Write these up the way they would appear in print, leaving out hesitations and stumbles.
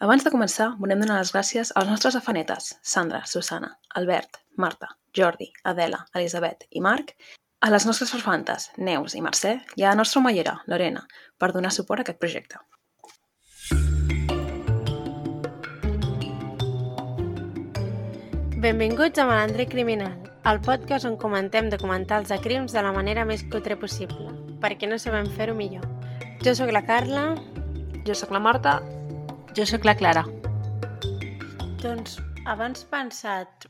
Abans de començar, volem donar les gràcies als nostres afanetes, Sandra, Susana, Albert, Marta, Jordi, Adela, Elisabet i Marc, a les nostres farfantes, Neus i Mercè, i a la nostra omellera, Lorena, per donar suport a aquest projecte. Benvinguts a Malandre Criminal, el podcast on comentem documentals de crims de la manera més cutre possible, perquè no sabem fer-ho millor. Jo sóc la Carla. Jo sóc la Marta. Jo sóc la Clara. Doncs abans pensat,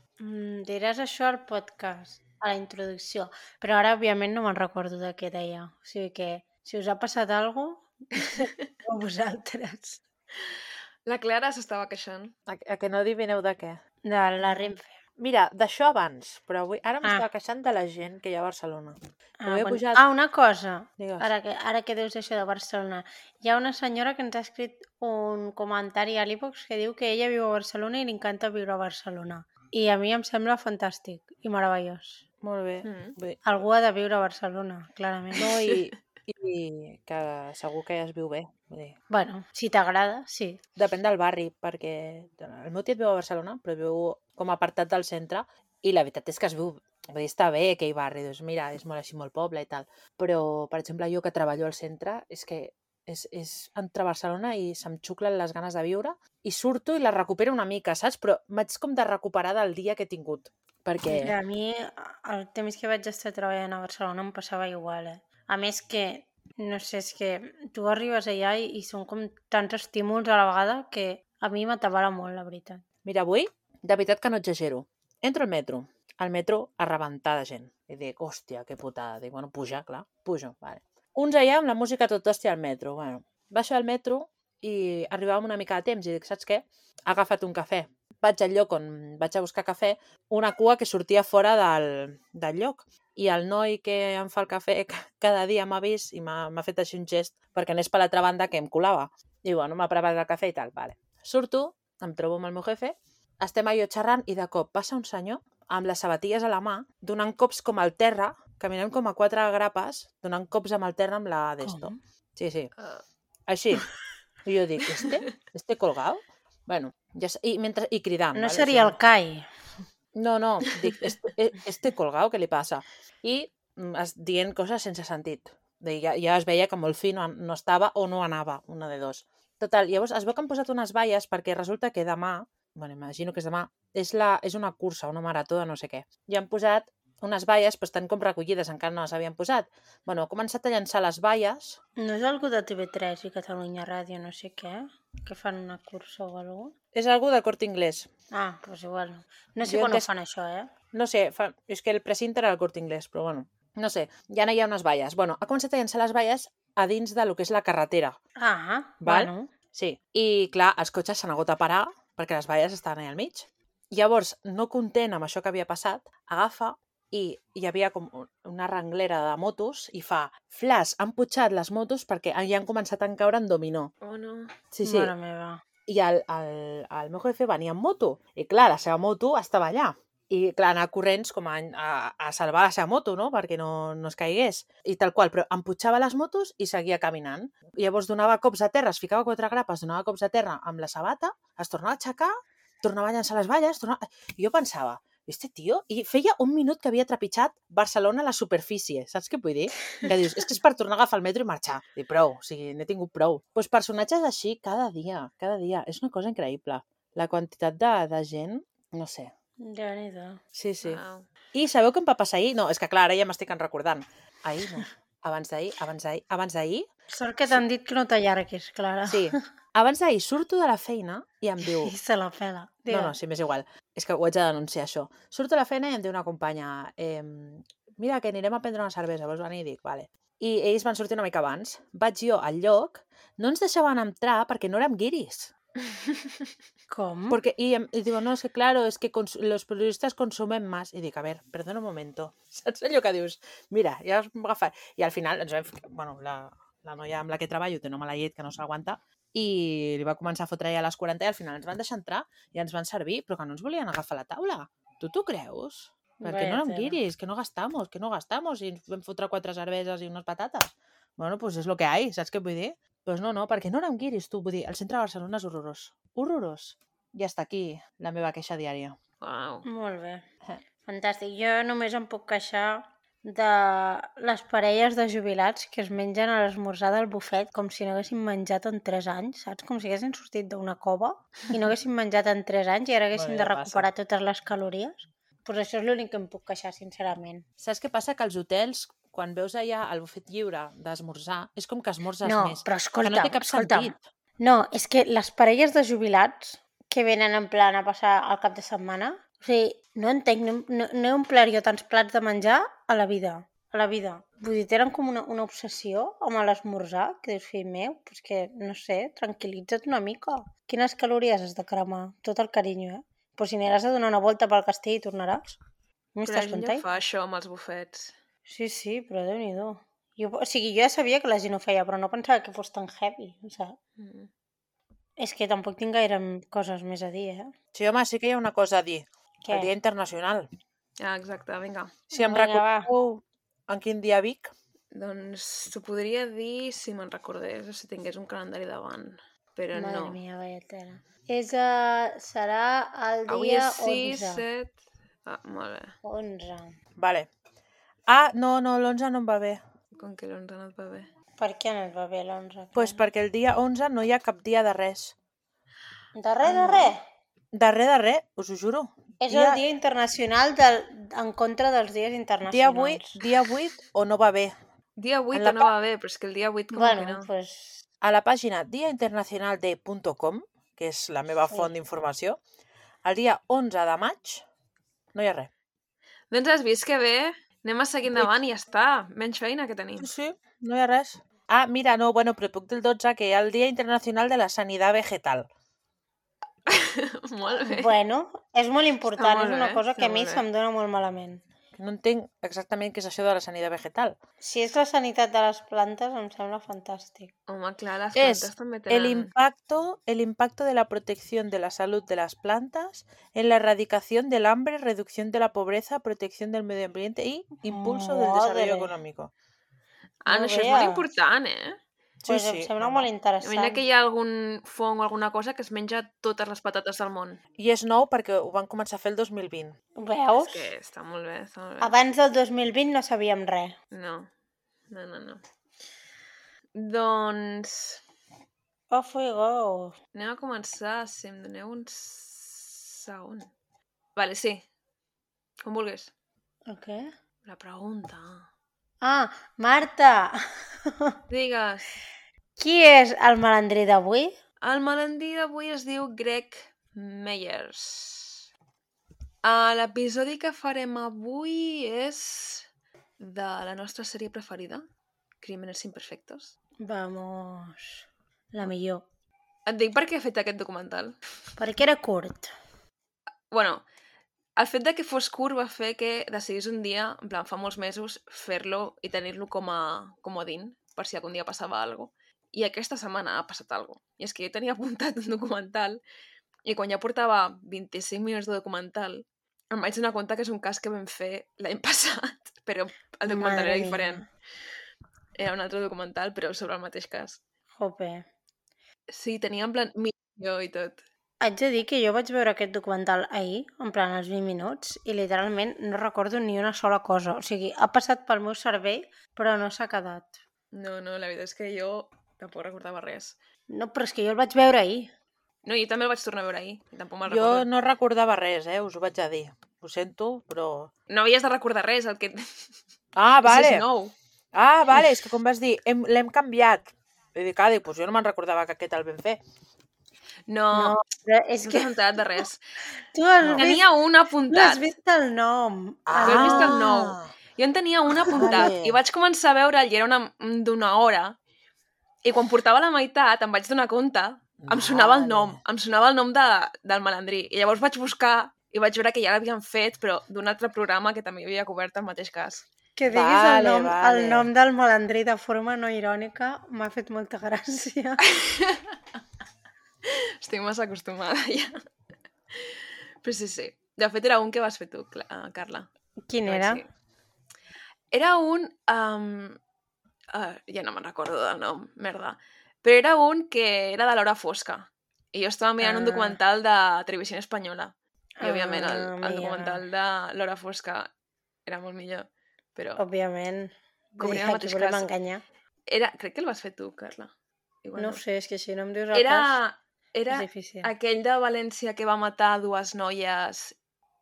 diràs això al podcast, a la introducció, però ara òbviament no me'n recordo de què deia. O sigui que, si us ha passat alguna cosa, vosaltres. La Clara s'estava queixant. A que no adivineu de què? De la Renfe. Mira, d'això abans, però avui ara m'estava queixant de la gent que hi ha a Barcelona. Una cosa, Digues. ara que dius això de Barcelona. Hi ha una senyora que ens ha escrit un comentari a l'e-box que diu que ella viu a Barcelona i li encanta viure a Barcelona. I a mi em sembla fantàstic i meravellós. Molt bé. Bé. Algú ha de viure a Barcelona, clarament. No, i que segur que ja es viu bé. Vull dir. Bueno, si t'agrada, sí. Depèn del barri, perquè el meu tiet viu a Barcelona, però viu com apartat del centre, i la veritat és que es viu, vull dir, està bé aquell barri, doncs mira, és molt així, molt poble i tal. Però, per exemple, jo que treballo al centre, és que és entre Barcelona i se'm xuclen les ganes de viure, i surto i la recupero una mica, saps? Però m'haig com de recuperar del dia que he tingut. Perquè... A mi, el temps que vaig estar treballant a Barcelona em passava igual, A més que, no sé, és que tu arribes allà i són com tants estímuls a la vegada que a mi m'atabala molt, la veritat. Mira, avui, de veritat que no exagero. Entro al metro a rebentar de gent. I dic, hòstia, que putada. Dic, bueno, puja, clar, pujo, vale. Uns allà amb la música tot hòstia al metro. Bueno, baixo al metro i arribàvem una mica de temps i dic, saps què? Ha agafat un cafè. Vaig al lloc on vaig a buscar cafè, una cua que sortia fora del lloc. I el noi que em fa el cafè cada dia m'ha vist i m'ha fet així un gest perquè anés per l'altra banda que em colava. I bueno, m'ha preparat el cafè i tal, vale. Surto, em trobo amb el meu jefe, estem allò xerrant i de cop passa un senyor amb les sabatilles a la mà, donant cops com al terra, caminem com a 4 grapes, donant cops amb el terra amb la d'esto. Sí. Així. I jo dic, ¿este colgado? Bueno, i cridant. No seria el CAI. No, dic, este colgado, què li passa? I dient coses sense sentit. Ja es veia que molt fi no estava o no anava, una de dos. Total, llavors es veu que han posat unes valles perquè resulta que demà, bueno, imagino que és demà, és una cursa, una marató de no sé què. I han posat unes valles, però estan com recollides, encara no les havien posat. Bueno, ha començat a llançar les valles. No és algú de TV3 i Catalunya Ràdio, no sé què, que fan una cursa o alguna cosa? És algú del Corte Inglés. Ah, doncs igual. No sé quan ho fan això, No sé, és que el precinte era el Corte Inglés, però bueno, no sé, ja no hi ha unes valles. Bueno, ha començat a llançar les valles a dins de lo que és la carretera. Ah, val? Bueno. Sí, i clar, els cotxes s'han hagut de parar perquè les valles estaven allà al mig. Llavors, no content amb això que havia passat, agafa i hi havia com una renglera de motos i fa flash, han putxat les motos perquè ja han començat a caure en dominó. Oh, no. Sí. Mare meva. I el meu jefe venia en moto i clar, la seva moto estava allà i clar, anar corrents com a salvar la seva moto, no? Perquè no es caigués i tal qual, però emputxava les motos i seguia caminant. I llavors donava cops a terra, es ficava 4 grapes, donava cops a terra amb la sabata, es tornava a aixecar, tornava a llançar les valles, i jo pensava, este tio, i feia 1 minut que havia trepitjat Barcelona a la superfície, saps què vull dir? Que dius, és que és per tornar a agafar el metro i marxar. I prou, o sigui, n'he tingut prou. Doncs personatges així cada dia, és una cosa increïble. La quantitat de gent, no sé. Déu-n'hi-do. Sí. Wow. I sabeu què em va passar ahir? No, és que clar, ara ja m'estic recordant. Ahir no. Abans d'ahir. Sort que t'han dit que no t'allarguis, Clara. Sí. Abans d'ahir surto de la feina i em diu... I se la pela. No, sí, m'és igual. És que ho haig de denunciar, això. Surto de la feina i em diu una companya mira, que anirem a prendre una cervesa, vols venir? I dic, vale. I ells van sortir una mica abans. Vaig jo al lloc, no ens deixaven entrar perquè no érem guiris. Com? Porque, y digo, no, es que claro, es que los periodistas consumen más. I dic, a ver, perdona un momento. Saps allò que dius? Mira, ja us vam agafar. I al final, bueno, la noia amb la que treballo té una mala llet que no s'aguanta i li va començar a fotre ja a les 40 i al final ens van deixar entrar i ens van servir, però que no ens volien agafar la taula. Tu t'ho creus? Perquè no érem guiris, que no gastamos, i ens vam fotre 4 cerveses i unes patates. Bueno, pues és lo que hay, saps què vull dir? Doncs no, perquè no érem guiris, tu. Vull dir, el centre de Barcelona és horrorós. Horrorós. I hasta aquí la meva queixa diària. Uau. Molt bé. Fantàstic. Jo només em puc queixar de les parelles de jubilats que es mengen a l'esmorzar del bufet com si no haguessin menjat en 3 anys, saps? Com si haguessin sortit d'una cova i no haguessin menjat en 3 anys i ara haguessin Bueno, de ja recuperar totes les calories. Pues això és l'únic que em puc queixar, sincerament. Saps què passa? Que als hotels, quan veus allà el bufet lliure d'esmorzar, és com que esmorzes No, més. però Que no té cap escolta'm. sentit. No, és que les parelles de jubilats que venen en plan a passar el cap de setmana, o sigui, no entenc, no he omplert jo tants plats de menjar a la vida. A la vida. Vull dir, tenen com una obsessió amb l'esmorzar, que dius, fill meu, pues que, no sé, tranquil·litza't una mica. Quines calories has de cremar? Tot el carinyo, eh? Pues si aniràs a donar una volta pel castell i tornaràs. Però la gent ja fa això amb els bufets. Sí, però Déu-n'hi-do. O sigui, jo ja sabia que la gent ho feia, però no pensava que fos tan heavy, saps? És que tampoc tinc gaire coses més a dir, eh? Sí, home, sí que hi ha una cosa a dir. Què? El Dia Internacional. Ah, exacte, vinga. Si em Vinga, recordeu en quin dia Vic, Doncs t'ho podria dir si me'n recordés o si tingués un calendari davant. Però Madre no. mia, vaya tela. Serà el Avui dia és 6, 11. 7... Ah, molt bé. 11. vale. Ah, no, l'11 no em va bé. Com que l'11 no et va bé. Per què no et va bé l'11? Pues perquè el dia 11 no hi ha cap dia de res. De res. De res, us ho juro. És el dia internacional en contra dels dies internacionals. Dia 8 o no va bé. Dia 8 En la no va bé, però és que el dia 8 com que Bueno, no. pues... A la pàgina diainternacionalde.com, que és la meva Sí. font d'informació, el dia 11 de maig no hi ha res. Doncs has vist que bé? Anem a seguir endavant i ja està. Menys feina que tenim. Sí, no hi ha res. Ah, mira, no, bueno, però puc del 12, que hi ha el Dia Internacional de la Sanitat Vegetal. Molt bé. Bueno, és molt important, Està molt és una bé, cosa està que a mi molt bé. se'm dona molt malament. Que no entenc exactament què és això de la sanitat vegetal. Si és la sanitat de les plantes, em sembla fantàstic. Home, clar, les Es plantes també el tenen... impacto de la protección de la salud de las plantas en la erradicación del hambre, reducción de la pobreza, protección del medio ambiente y impulso del desarrollo Madre. económico. Ah, no, No això és molt veas. important, eh? Sí, Pues em sí, sembla home. molt interessant. Imagina que hi ha algun fong o alguna cosa que es menja totes les patates del món. I és nou perquè ho van començar a fer el 2020. Veus? És que està molt bé, està molt bé. Abans del 2020 no sabíem res. No. Doncs Off we go. anem a començar, si em doneu un segon. Vale, sí. Com vulguis. Ok. La pregunta. Ah, Marta! Digues. Qui és el malandrí d'avui? El malandrí d'avui es diu Greg Meyers. L'episodi que farem avui és de la nostra sèrie preferida, Crímenes Imperfectos. Vamos. La millor. Et dic per què he fet aquest documental. Perquè era curt. Bueno, el fet de que fos curt va fer que decidís un dia, en plan, fa molts mesos, fer-lo i tenir-lo com a comodín, per si algun dia passava alguna cosa. I aquesta setmana ha passat alguna cosa. I és que jo tenia apuntat un documental i quan ja portava 25 minuts de documental em vaig donar compte que és un cas que vam fer l'any passat, però el documental Madre era mia. diferent. Era un altre documental, però sobre el mateix cas. Jope. Sí, tenia en plan missió i tot. Haig de dir que jo vaig veure aquest documental ahir, en plan als 20 minuts, i literalment no recordo ni una sola cosa. O sigui, ha passat pel meu cervell, però no s'ha quedat. No, la veritat és que jo tampoc recordava res. No, però és que jo el vaig veure ahir. No, jo també el vaig tornar a veure ahir, i tampoc me'l Jo recordo. no recordava res, us ho vaig a dir. Ho sento, però... No havies de recordar res, el que... Ah, vale. És nou. Ah, vale, és que com vas dir, l'hem canviat. I dic, doncs jo no me'n recordava que aquest el vam fer. No, Però és no que t'has enterat de res. tu has vist, Tenia un tu has apuntat. vist el nom. Tu has vist el nou. Jo en tenia un apuntat vale. i vaig començar a veure'l i era d'una hora. I quan portava la meitat em vaig donar compte, em sonava el nom, del malandrí. I llavors vaig buscar i vaig veure que ja l'havien fet, però d'un altre programa que també havia cobert el mateix cas. Que diguis Vale, el vale. nom del malandrí de forma no irònica m'ha fet molta gràcia. Estic massa acostumada ja. Però sí. De fet, era un que vas fer tu, Carla. Quin Que vaig era? dir. Era un... ja no me'n recordo del nom, merda. però era un que era de l'hora fosca. I jo estava mirant un documental de Televisió Espanyola. I, òbviament, el documental de l'hora fosca era molt millor, però... Òbviament. Cobrien el Aquí mateix volem cas. enganyar. Crec que el vas fer tu, Carla. Igual No ho sé, és que si no em dius el cas, Era és difícil. aquell de València que va matar 2 noies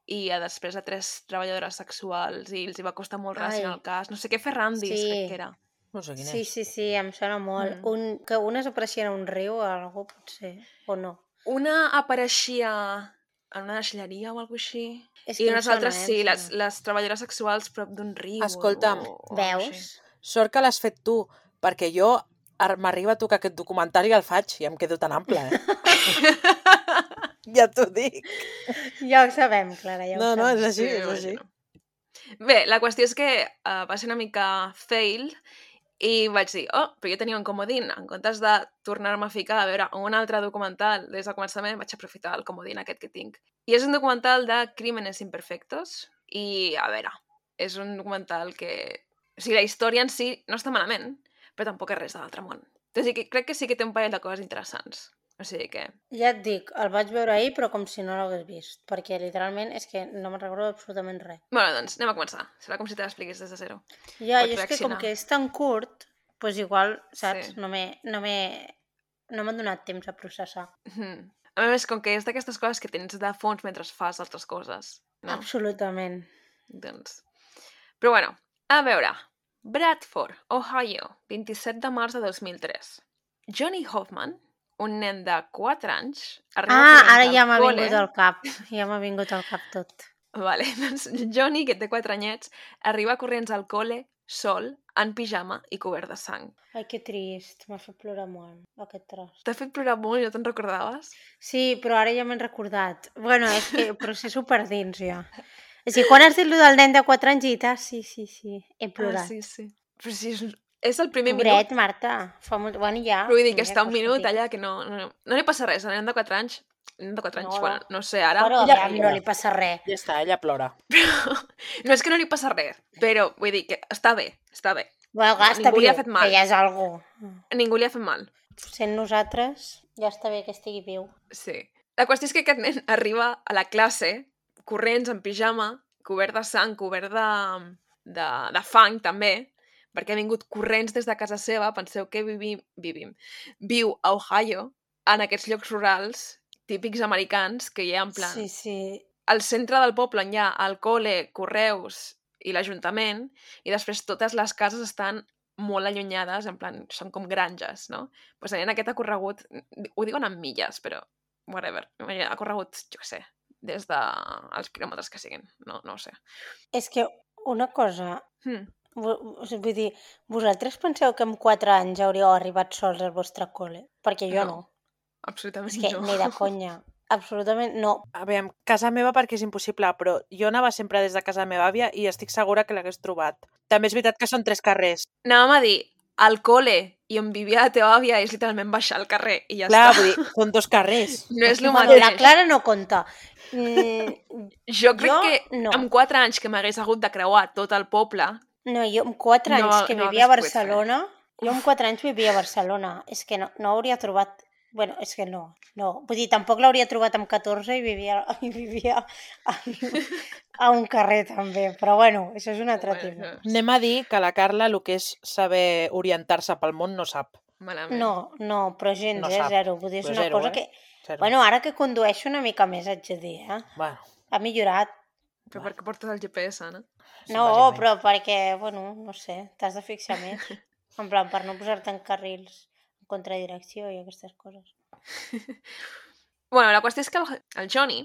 i després a 3 treballadores sexuals i els hi va costar molt relacionar el cas. No sé què, Ferrandis, crec que era. No sé quin Sí, és. sí, em sona molt. Que unes apareixien a un riu o algú, potser, o no. Una apareixia en una deixalleria o alguna així. És I que em unes sona, altres sí, em sona. les treballadores sexuals prop d'un riu. Escolta'm, o alguna així. Veus? Sort que l'has fet tu, perquè jo m'arriba a tocar aquest documentari i el faig i em quedo tan ample, Ja t'ho dic. Ja ho sabem, Clara, ja ho No, sabem. és així, Sí, és així. m'imagino. Bé, la qüestió és que va ser una mica fail i vaig dir, però jo tenia un comodín. En comptes de tornar-me a ficar a veure un altre documental des del començament, vaig aprofitar el comodín aquest que tinc. I és un documental de Crímenes Imperfectos i, a veure, és un documental que... O sigui, la història en si no està malament, però tampoc és res de l'altre món. O sigui, crec que sí que té un parell de coses interessants. O sigui que... Ja et dic, el vaig veure ahir, però com si no l'hagués vist, perquè literalment és que no me'n recordo absolutament res. Bueno, doncs anem a començar. Serà com si te l'expliquis des de zero. Ja, Pots jo és que com reaccionar. que és tan curt, doncs igual, saps? Sí. No m'han donat temps a processar. A més, com que és d'aquestes coses que tens de fons mentre fas altres coses. No? Absolutament. Doncs... Però bueno, a veure. Bradford, Ohio, 27 de març de 2003. Johnny Hoffman, un nen de 4 anys, arriba corrents Ara al ja m'ha col·le. vingut al cap. Ja m'ha vingut al cap tot. Vale, doncs Johnny, que té 4 anyets, arriba corrents al col·le sol, en pijama i cobert de sang. Ai, que trist. M'ha fet plorar molt, aquest tros. T'ha fet plorar molt, no te'n recordaves? Sí, però ara ja m'he recordat. Bueno, és que però sé superdins, ja. És que quan has dit lo del nen de 4 anys i dit, sí, he plorat. Sí. Però si és el primer Pobret, minut. Marta. Fa molt... Bueno, ja. Però vull dir que mira, està un vols que minut et digui? allà que no li passa res. El nen de 4 anys, No. bueno, no sé, ara... Però Ella aviam, no li passa res. Ja està, ella plora. No és que no li passa res, però vull dir que està bé. Bueno, clar, està Ningú li viu, ha fet mal. que ja és algú. Ningú li ha fet mal. Sent nosaltres, ja està bé que estigui viu. Sí. La qüestió és que aquest nen arriba a la classe, corrents, en pijama, cobert de sang, cobert de fang, també, perquè ha vingut corrents des de casa seva. Penseu que viu a Ohio, en aquests llocs rurals típics americans, que hi ha en plan... Sí. Al centre del poble on hi ha el col·le, correus i l'Ajuntament, i després totes les cases estan molt allunyades, en plan, són com granges, no? Doncs en aquest ha corregut, ho diuen en milles, però whatever, ha corregut, jo què sé, des dels quilòmetres que siguin, no ho sé. És que una cosa, vull dir, vosaltres penseu que amb 4 anys hauríeu arribat sols al vostre col·le? Perquè jo no. Absolutament És que no. ni de conya. Absolutament no. A veure, casa meva perquè és impossible, però jo anava sempre des de casa de la meva àvia i estic segura que l'hagués trobat. També és veritat que són 3 carrers. Anàvem a dir, al col·le i on vivia la teva àvia és literalment baixar al carrer i ja Clar, està. vull dir, són 2 carrers. No és el Bueno, mateix. la Clara no compta. Jo crec Jo que no. amb 4 anys que m'hagués hagut de creuar tot el poble... No, jo amb 4 anys que no vivia a hagués pogut fer. Barcelona, jo amb 4 anys vivia a Barcelona. És que no hauria trobat... Bueno, és que no. Vull dir, tampoc l'hauria trobat amb 14 i vivia a un carrer també. Però bueno, això és un altre tema. Anem a dir que la Carla el que és saber orientar-se pel món no sap. Malament. No, però gens, No sap. zero. Vull dir, és Però una zero, cosa eh? que... Zero. Bueno, ara que condueixo una mica més, haig de dir, Bueno, Ha millorat. Però per què portes el GPS, no? No, bàsicament. però perquè, bueno, no sé, t'has de fixar més. En plan, per no posar-te en carrils en contradirecció i aquestes coses. Bueno, la qüestió és que el Johnny,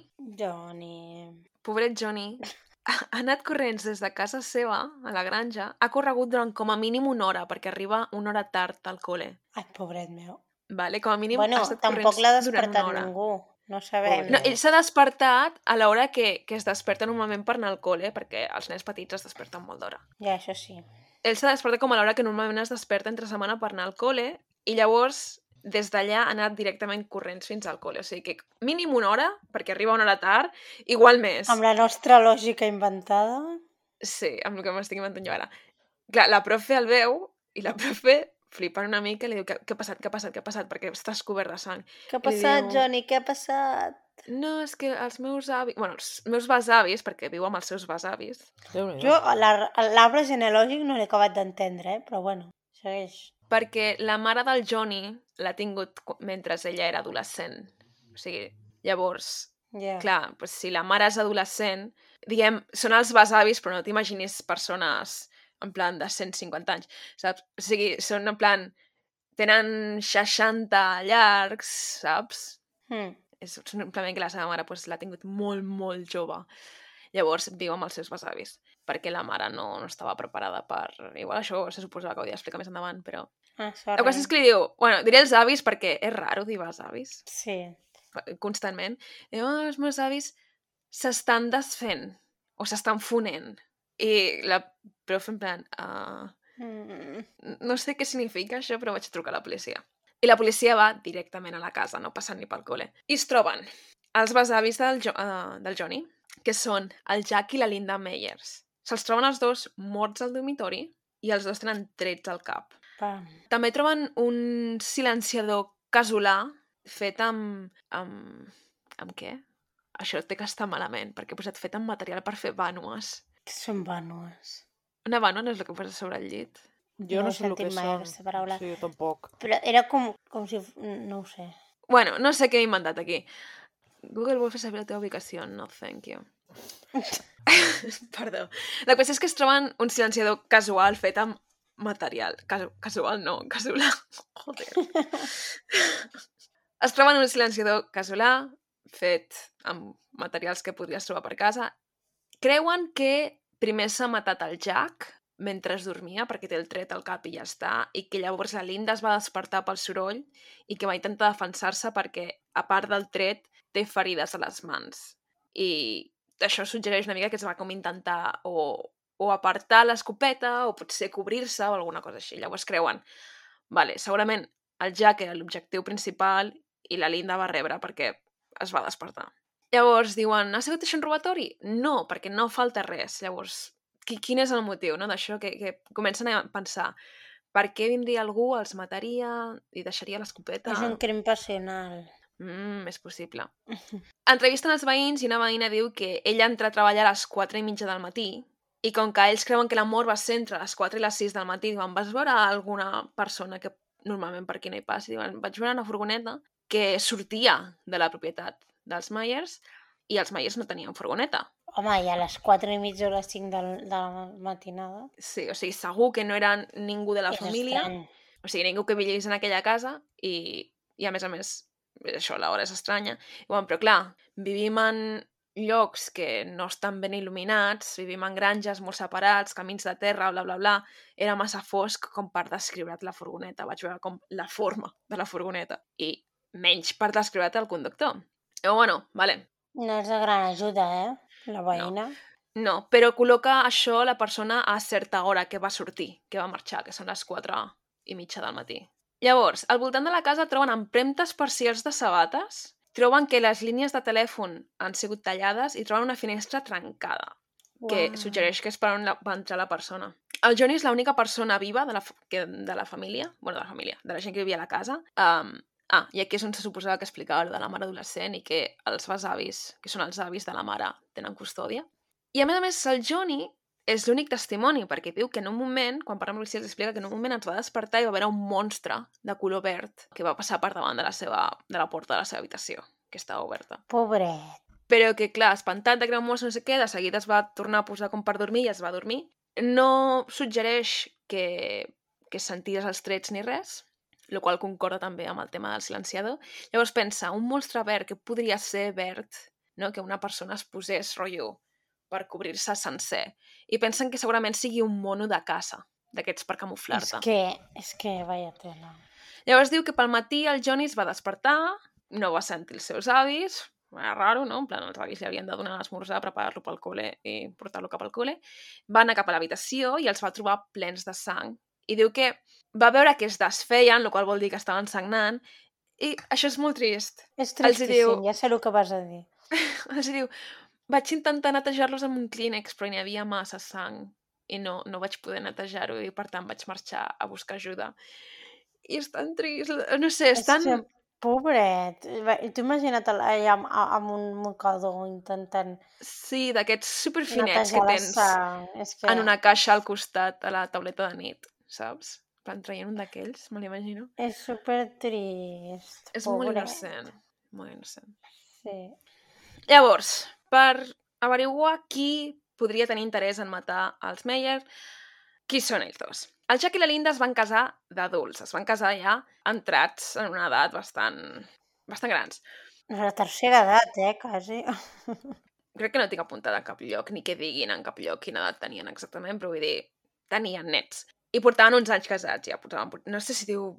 pobret Johnny, ha anat corrents des de casa seva, a la granja, ha corregut durant com a mínim 1 hora, perquè arriba 1 hora tard al col·le. Ai, pobret meu. Vale? Com a mínim Bueno, ha estat tampoc corrents l'ha durant 1 despertat hora. ningú. No sabem. No, ell s'ha despertat a l'hora que es desperta normalment per anar al col·le, perquè els nens petits es desperten molt d'hora. Ja, això sí. Ell s'ha despertat com a l'hora que normalment es desperta entre setmana per anar al col·le, i llavors des d'allà ha anat directament corrents fins al col·le. O sigui que mínim 1 hora, perquè arriba 1 hora tard, igual més. Amb la nostra lògica inventada... Sí, amb el que m'estic inventant jo ara. Clar, la profe el veu i la profe flipant una mica i li diu, què ha passat, què ha passat, què ha passat? Perquè estàs cobert de sang. Què ha I li passat, diu, Johnny? Què ha passat? no, és que els meus avis... Bueno, els meus besavis, perquè viu amb els seus besavis, Déu-n'hi-do. Jo l'arbre genealògic no l'he acabat d'entendre, però bueno, segueix. perquè la mare del Johnny l'ha tingut mentre ella era adolescent. O sigui, llavors, Ja. clar, doncs si la mare és adolescent, diguem, són els besavis, però no t'imaginis persones en plan de 150 anys, saps? O sigui, són en plan... Tenen 60 llargs, saps? És simplement que la seva mare doncs, l'ha tingut molt, molt jove. Llavors viu amb els seus besavis, perquè la mare no estava preparada per... Igual això se suposava que ho havia d'explicar més endavant, però... Ah, La sorry. cosa és que li diu... Bueno, diré els avis perquè és raro dir besavis, Sí. constantment. Diu, els meus avis s'estan desfent, o s'estan fonent. I la profe en plan... no sé què significa això, però vaig trucar a la policia. I la policia va directament a la casa, no passant ni pel col·le. I es troben els besavis del Johnny, que són el Jack i la Linda Meyers. Se'ls troben els dos morts al dormitori i els dos tenen trets al cap. Pam. També troben un silenciador casolà fet amb... Amb què? Això té que estar malament, perquè he posat fet amb material per fer vànues. Què són vànues? Una vànua no és el que poses sobre el llit? Jo No no he sé el que sentit mai són. aquesta paraula. Sí, jo tampoc. Però era com si... No ho sé. Bueno, no sé què he inventat aquí. Google vol fer saber la teva ubicació. No, thank you. Perdó. La qüestió és que es troben un silenciador casual fet amb material. Casual no, casolà. Joder. Es troben un silenciador casolà fet amb materials que podries trobar per casa. Creuen que primer s'ha matat el Jack mentre es dormia, perquè té el tret al cap i ja està, i que llavors la Linda es va despertar pel soroll i que va intentar defensar-se perquè, a part del tret, té ferides a les mans. I això suggereix una mica que es va com intentar o apartar l'escopeta o potser cobrir-se o alguna cosa així. Llavors creuen, vale, segurament el Jack era l'objectiu principal i la Linda va rebre perquè es va despertar. Llavors diuen, ha sigut això un robatori? No, perquè no falta res. Llavors, quin és el motiu, no, d'això? Que comencen a pensar, per què vindria algú, els mataria i deixaria l'escopeta? És un crim passional. És possible. Entrevisten els veïns i una veïna diu que ella entra a treballar a les 4:30 del matí i com que ells creuen que la mort va ser entre les 4 i les 6 del matí, diuen, vas veure alguna persona que normalment per aquí no hi passi? Diuen, vaig veure una furgoneta que sortia de la propietat dels Myers i els Myers no tenien furgoneta. Home, i a les 4:30 o les 5 de la matinada... Sí, o sigui, segur que no era ningú de la és família, estrany. o sigui, ningú que vivís en aquella casa i a més, això, l'hora és estranya. I, bueno, però clar, vivim en llocs que no estan ben il·luminats, vivim en granges molt separats, camins de terra, bla, bla, bla. Era massa fosc com per descriure't la furgoneta. Vaig veure com la forma de la furgoneta i menys per descriure't el conductor. I, bueno, vale. No és de gran ajuda, la veïna. No, però col·loca això la persona a certa hora que va sortir, que va marxar, que són les 4:30 del matí. Llavors, al voltant de la casa troben empremtes parcials de sabates, troben que les línies de telèfon han sigut tallades i troben una finestra trencada, que suggereix que és per on va entrar la persona. El Johnny és l'única persona viva de la família, bueno, de la gent que vivia a la casa. I aquí és on se suposava que explicava de la mare adolescent i que els besavis, que són els avis de la mare, tenen custòdia. I a més, el Johnny és l'únic testimoni, perquè diu que en un moment, quan parla amb policia, explica que en un moment ens va despertar i va veure un monstre de color verd que va passar per davant de la porta de la seva habitació, que estava oberta. Pobret. Però que, clar, espantat de que era un monstre no sé què, de seguida es va tornar a posar com per dormir i es va dormir. No suggereix que senties els trets ni res, el qual concorda també amb el tema del silenciador. Llavors pensa, un monstre verd que podria ser verd, no? Que una persona es posés rotllo per cobrir-se sencer. I pensen que segurament sigui un mono de caça, d'aquests per camuflar-te. És que vaya tela. Llavors diu que pel matí el Johnny es va despertar, no va sentir els seus avis, era raro, no? En plan, els avis li havien de donar l'esmorzar, preparar-lo pel col·le i portar-lo cap al col·le. Va anar cap a l'habitació i els va trobar plens de sang. I diu que va veure que es desfeien, el qual vol dir que estaven sagnant, i això és molt trist. És tristíssim, ja sé el que vas a dir. Els diu, vaig intentar netejar-los amb un clínex, però n'hi havia massa sang i no vaig poder netejar-ho i per tant vaig marxar a buscar ajuda. i és tan trist. No sé, és tan... que, pobret. I tu imagina't allà amb un mocador intentant Sí, d'aquests superfinets que netejar la tens sang. És que... en una caixa al costat a la tauleta de nit, saps? Van traient un d'aquells, me l'imagino. És supertrist. És pobret. molt innocent, molt innocent. Sí. Llavors, per averiguar qui podria tenir interès en matar els Meyer, qui són ells dos? El Jack i la Linda es van casar d'adults, es van casar ja entrats en una edat bastant grans. La tercera edat, quasi. Crec que no tinc apuntada en cap lloc, ni que diguin en cap lloc quina edat tenien exactament, però vull dir, tenien nets. I portaven uns anys casats, ja portaven, no sé si diu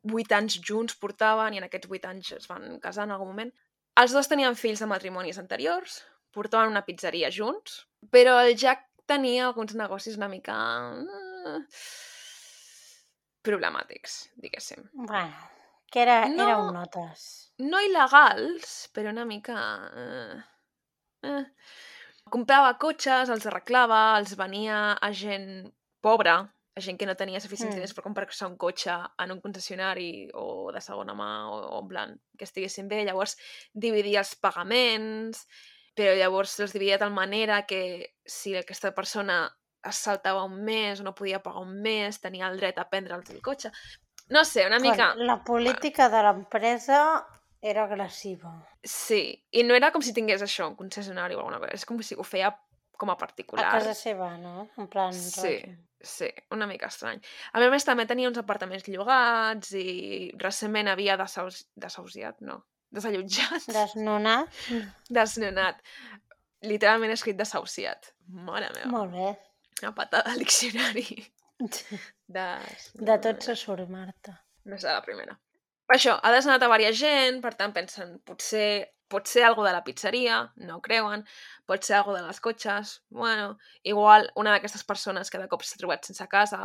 8 anys junts portaven, i en aquests 8 anys es van casar en algun moment. Els dos tenien fills de matrimonis anteriors, portaven una pizzeria junts, però el Jack tenia alguns negocis una mica problemàtics, diguéssim. Bueno, que era un No, notes. no il·legals, però una mica... Comprava cotxes, els arreglava, els venia a gent pobra, a gent que no tenia suficients diners per comprar-se un cotxe en un concessionari o de segona mà o en plan que estiguessin bé. Llavors dividia els pagaments, però llavors els dividia de tal manera que si aquesta persona es saltava un mes o no podia pagar un mes, tenia el dret a prendre'ls el cotxe. No sé, una mica... La política de l'empresa era agressiva. Sí, i no era com si tingués això, un concessionari o alguna cosa, és com si ho feia com a particular. A casa seva, no? En plan... Sí, una mica estrany. A més, també tenia uns apartaments llogats i recentment havia desallotjat. Desnonat. Desnonat. Literalment escrit desahuciat. Mare meva. Molt bé. Una patada al diccionari. De tot se surt, Marta. No serà la primera. Això, ha desnonat a diversa gent, per tant pensen, pot ser algo de la pizzeria, no ho creuen, pot ser algo de les cotxes, bueno, igual una d'aquestes persones que de cop s'ha trobat sense casa,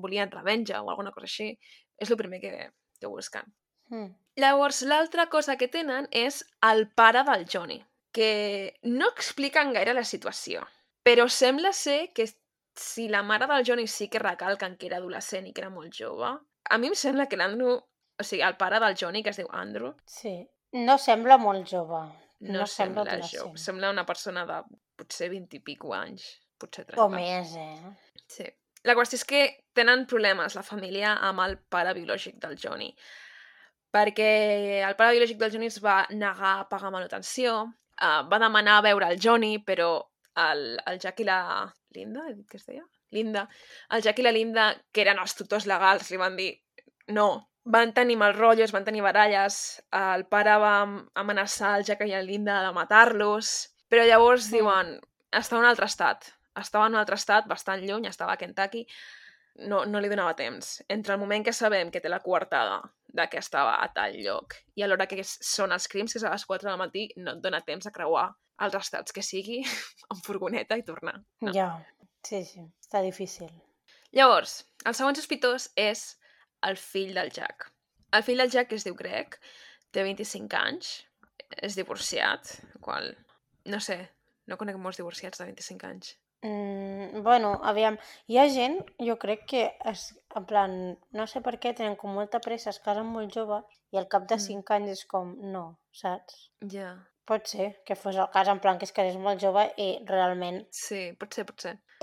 volien revenja o alguna cosa així, és el primer que busquen. Llavors, l'altra cosa que tenen és el pare del Johnny, que no expliquen gaire la situació, però sembla ser que si la mare del Johnny sí que recalquen que era adolescent i que era molt jove, a mi em sembla que l'Andrew, o sigui, el pare del Johnny, que es diu Andrew... Sí, no sembla molt jove. No sembla jove. Sembla una persona de potser 20 i pico anys, potser 30. O més, Sí. La qüestió és que tenen problemes la família amb el pare biològic del Johnny, perquè el pare biològic del Johnny es va negar a pagar manutenció, va demanar a veure el Johnny, però el Jack i la Linda, he dit que es deia? Linda. El Jack i la Linda, que eren els tutors legals, li van dir no. Van tenir mal rotllos, van tenir baralles, el pare va amenaçar el Jack i la Linda de matar-los, però llavors diuen, estava en un altre estat, bastant lluny, estava a Kentucky, no li donava temps. Entre el moment que sabem que té la coartada de que estava a tal lloc i a l'hora que són els crims, que és a les 4 del matí, no et dona temps a creuar els estats que sigui amb furgoneta i tornar. No. Ja, sí, està difícil. Llavors, el segon sospitós és el fill del Jack. El fill del Jack es diu Greg, té 25 anys, és divorciat, qual, no sé, no conec molts divorciats de 25 anys. Bueno, aviam, hi ha gent, jo crec que, en plan, no sé per què, tenen com molta pressa, es casen molt joves i al cap de 5 anys és com, no, saps? Ja. Pot ser que fos el cas, en plan, que es casés molt jove i realment... Sí, pot ser.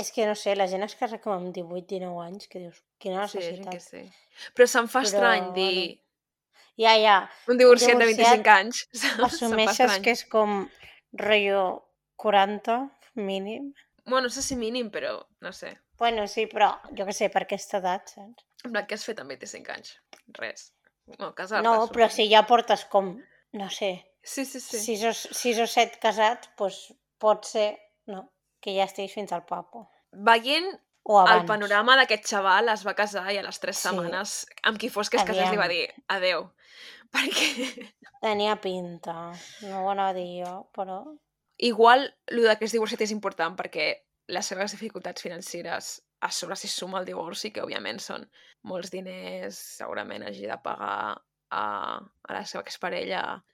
És que no sé, la gent es casa com amb 18-19 anys, que dius, quina necessitat. Sí. Però se'm fa estrany dir... Ja. Un divorciat de 25 anys. Assumeixes que és com rotllo 40, mínim. Bueno, no sé si mínim, però no sé. Bueno, sí, però jo què sé, per aquesta edat, saps? En plan, què has fet amb 25 anys? Res. No, casar-te. No, però si ja portes com, no sé, sí. 6 o 7 casats, doncs pot ser, no, que ja estiguis fins al papo. Veient el panorama d'aquest xaval, es va casar i a les 3 setmanes, amb qui fos que es casés, li va dir adeu. Perquè... Tenia pinta, no ho anava a dir jo, però... Igual, el que és divorciat és important perquè les seves dificultats financeres a sobre s'hi suma el divorci, que òbviament són molts diners, segurament hagi de pagar a la seva exparella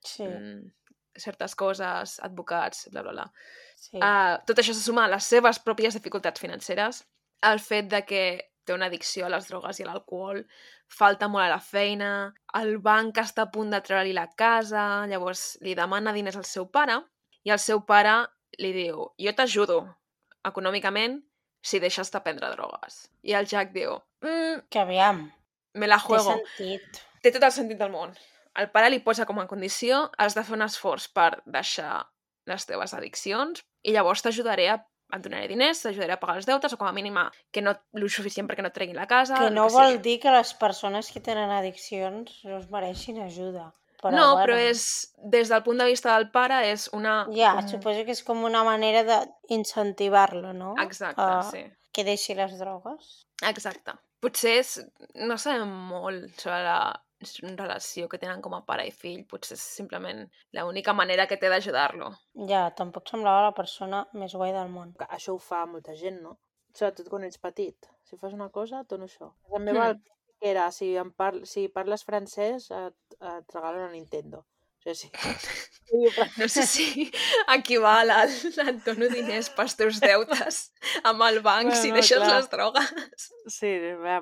certes coses, advocats, bla, bla, bla. Sí. Tot això se suma a les seves pròpies dificultats financeres, el fet de que té una addicció a les drogues i a l'alcohol, falta molt a la feina, el banc està a punt de treure-li la casa, llavors li demana diners al seu pare i el seu pare li diu, jo t'ajudo econòmicament si deixes de prendre drogues. I el Jack diu, Que aviam, me la té juego. sentit. Té tot el sentit del món. El pare li posa com a condició, has de fer un esforç per deixar les teves addiccions i llavors t'ajudaré et donaré diners, t'ajudaré a pagar els deutes o com a mínim que no el suficient perquè no et treguin la casa. Que el no que vol sigui. dir que les persones que tenen addiccions no es mereixin ajuda. Però, No, bueno, però és, des del punt de vista del pare, és una... Ja, suposo que és com una manera d'incentivar-lo, no? Exacte, sí. Que deixi les drogues. Exacte. Potser no sabem molt sobre la relació que tenen com a pare i fill, potser és simplement l'única manera que té d'ajudar-lo. Ja, tampoc semblava la persona més guai del món. Això ho fa molta gent, no? Sobretot quan ets petit. Si fas una cosa, et dono això. La meva que era, si parles francès, et regalo una Nintendo. O sigui, No sé si equival al et dono diners pels teus deutes amb el banc si deixes clar. les drogues. Sí,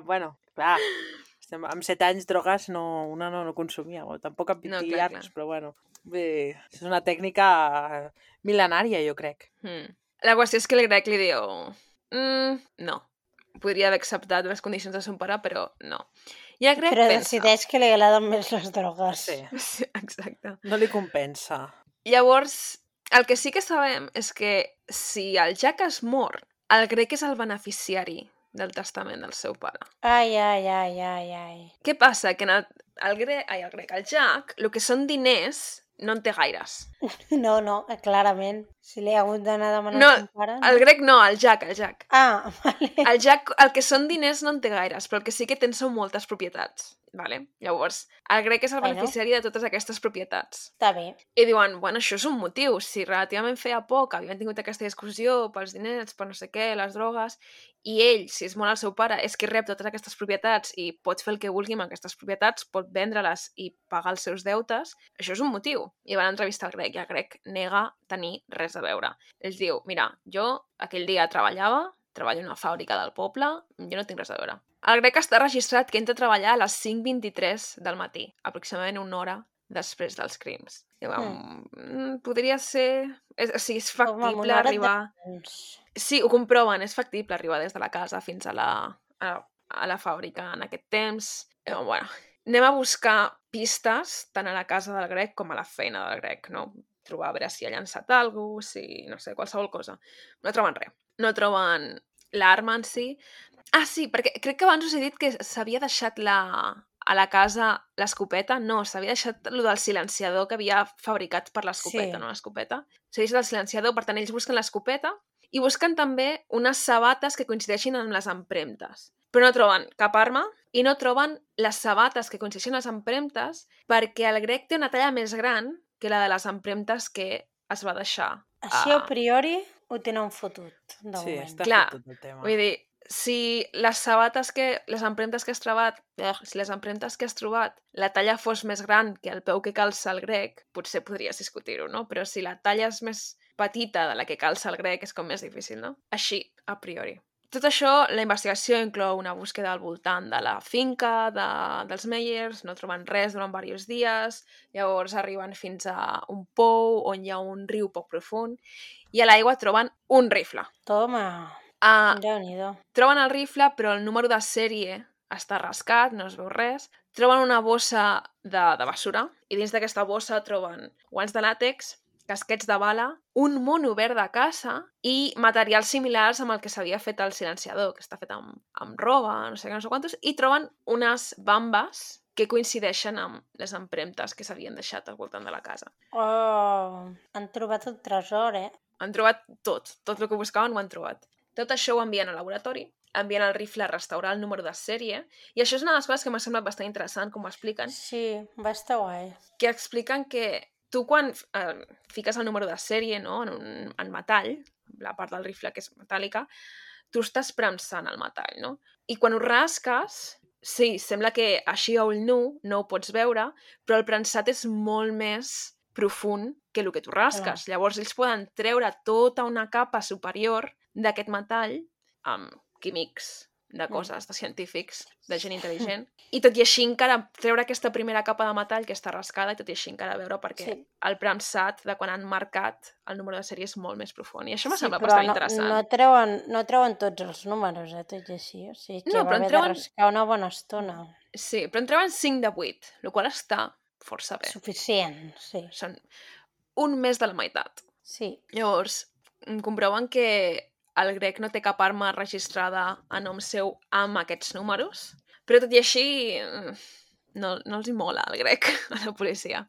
bueno, clar. Amb 7 anys drogues una no consumia, bueno, tampoc amb 20 clar. anys, però bueno. Bé, és una tècnica mil·lenària, jo crec. La qüestió és que el grec li diu no. Podria haver acceptat les condicions del seu pare, però no. I el grec Però pensa... decideix que li agraden més les drogues. Sí, exacte. No li compensa. Llavors, el que sí que sabem és que si el Jack es mor, el grec és el beneficiari del testament del seu pare. Ai. Què passa? Que el Jack, el que són diners, no en té gaires. No, clarament. Si li ha hagut d'anar a demanar No, a son pare... el grec no, el Jack. Ah, vale. El Jack, el que són diners no en té gaires, però el que sí que ten són moltes propietats. Vale? Llavors, el grec és el beneficiari de totes aquestes propietats. Està bé. I diuen, bueno, això és un motiu. Si relativament feia poc havien tingut aquesta discussió pels diners, per no sé què, les drogues, i ell, si és molt el seu pare, és qui rep totes aquestes propietats i pot fer el que vulgui amb aquestes propietats, pot vendre-les i pagar els seus deutes, això és un motiu. I van entrevistar el grec i el grec nega tenir res a veure. Ell diu, mira, jo aquell dia treballo a una fàbrica del poble, jo no tinc res a veure. El grec està registrat que entra a treballar a les 5:23 del matí, aproximadament una hora després dels crims. I podria ser... O sigui, és factible arribar... Sí, ho comproven, és factible arribar des de la casa fins a la fàbrica en aquest temps. Bueno, anem a buscar pistes tant a la casa del grec com a la feina del grec, no? Trobar a veure si ha llançat alguna cosa, si, no sé, qualsevol cosa. No troben res. No troben l'arma en si. Ah, sí, perquè crec que abans us he dit que s'havia deixat a la casa l'escopeta. No, s'havia deixat el del silenciador que havia fabricat per l'escopeta, no l'escopeta. S'havia deixat el silenciador, per tant, ells busquen l'escopeta i busquen també unes sabates que coincideixin amb les empremtes. Però no troben cap arma i no troben les sabates que coincideixen amb les empremtes perquè el grec té una talla més gran que la de les empremtes que es va deixar. Així a priori ho tenen fotut, de moment. Sí, està fotut el tema. Vull dir, si les empremtes que has trobat, la talla fos més gran que el peu que calça el grec, potser podries discutir-ho, no? Però si la talla és més petita de la que calça el grec, és com més difícil, no? Així, a priori. Tot això, la investigació inclou una búsqueda al voltant de la finca dels Meyers, no troben res durant diversos dies, llavors arriben fins a un pou on hi ha un riu poc profund i a l'aigua troben un rifle. Toma, Déu-n'hi-do. Troben el rifle, però el número de sèrie està rascat, no es veu res. Troben una bossa de basura i dins d'aquesta bossa troben guants de làtex, casquets de bala, un mono verd de caça i materials similars amb el que s'havia fet el silenciador, que està fet amb roba, no sé què, no sé quantos, i troben unes bambes que coincideixen amb les empremtes que s'havien deixat al voltant de la casa. Oh, han trobat el tresor, Han trobat tot el que buscaven ho han trobat. Tot això ho envien al laboratori, envien el rifle a restaurar el número de sèrie, i això és una de les coses que m'ha semblat bastant interessant, com ho expliquen. Sí, va estar guai. Que expliquen que tu quan fiques el número de sèrie, no, en metall, la part del rifle que és metàl·lica, tu estàs premsant el metall, no? I quan ho rasques, sí, sembla que així a ull nu no ho pots veure, però el premsat és molt més profund que el que tu rasques. Clar. Llavors ells poden treure tota una capa superior d'aquest metall amb químics de coses, de científics, de gent intel·ligent. I tot i així encara treure aquesta primera capa de metall que està rascada i tot i així encara veure perquè el Pramsat de quan han marcat el número de sèrie és molt més profund. I això m'ha semblat bastant interessant. No treuen tots els números, tot i així. O sigui que va haver de rascar una bona estona. Sí, però en treuen 5 de 8, el qual està força bé. Suficient, sí. Són un més de la meitat. Sí. Llavors, comproven que el grec no té cap arma registrada a nom seu amb aquests números, però tot i així no els hi mola el grec a la policia.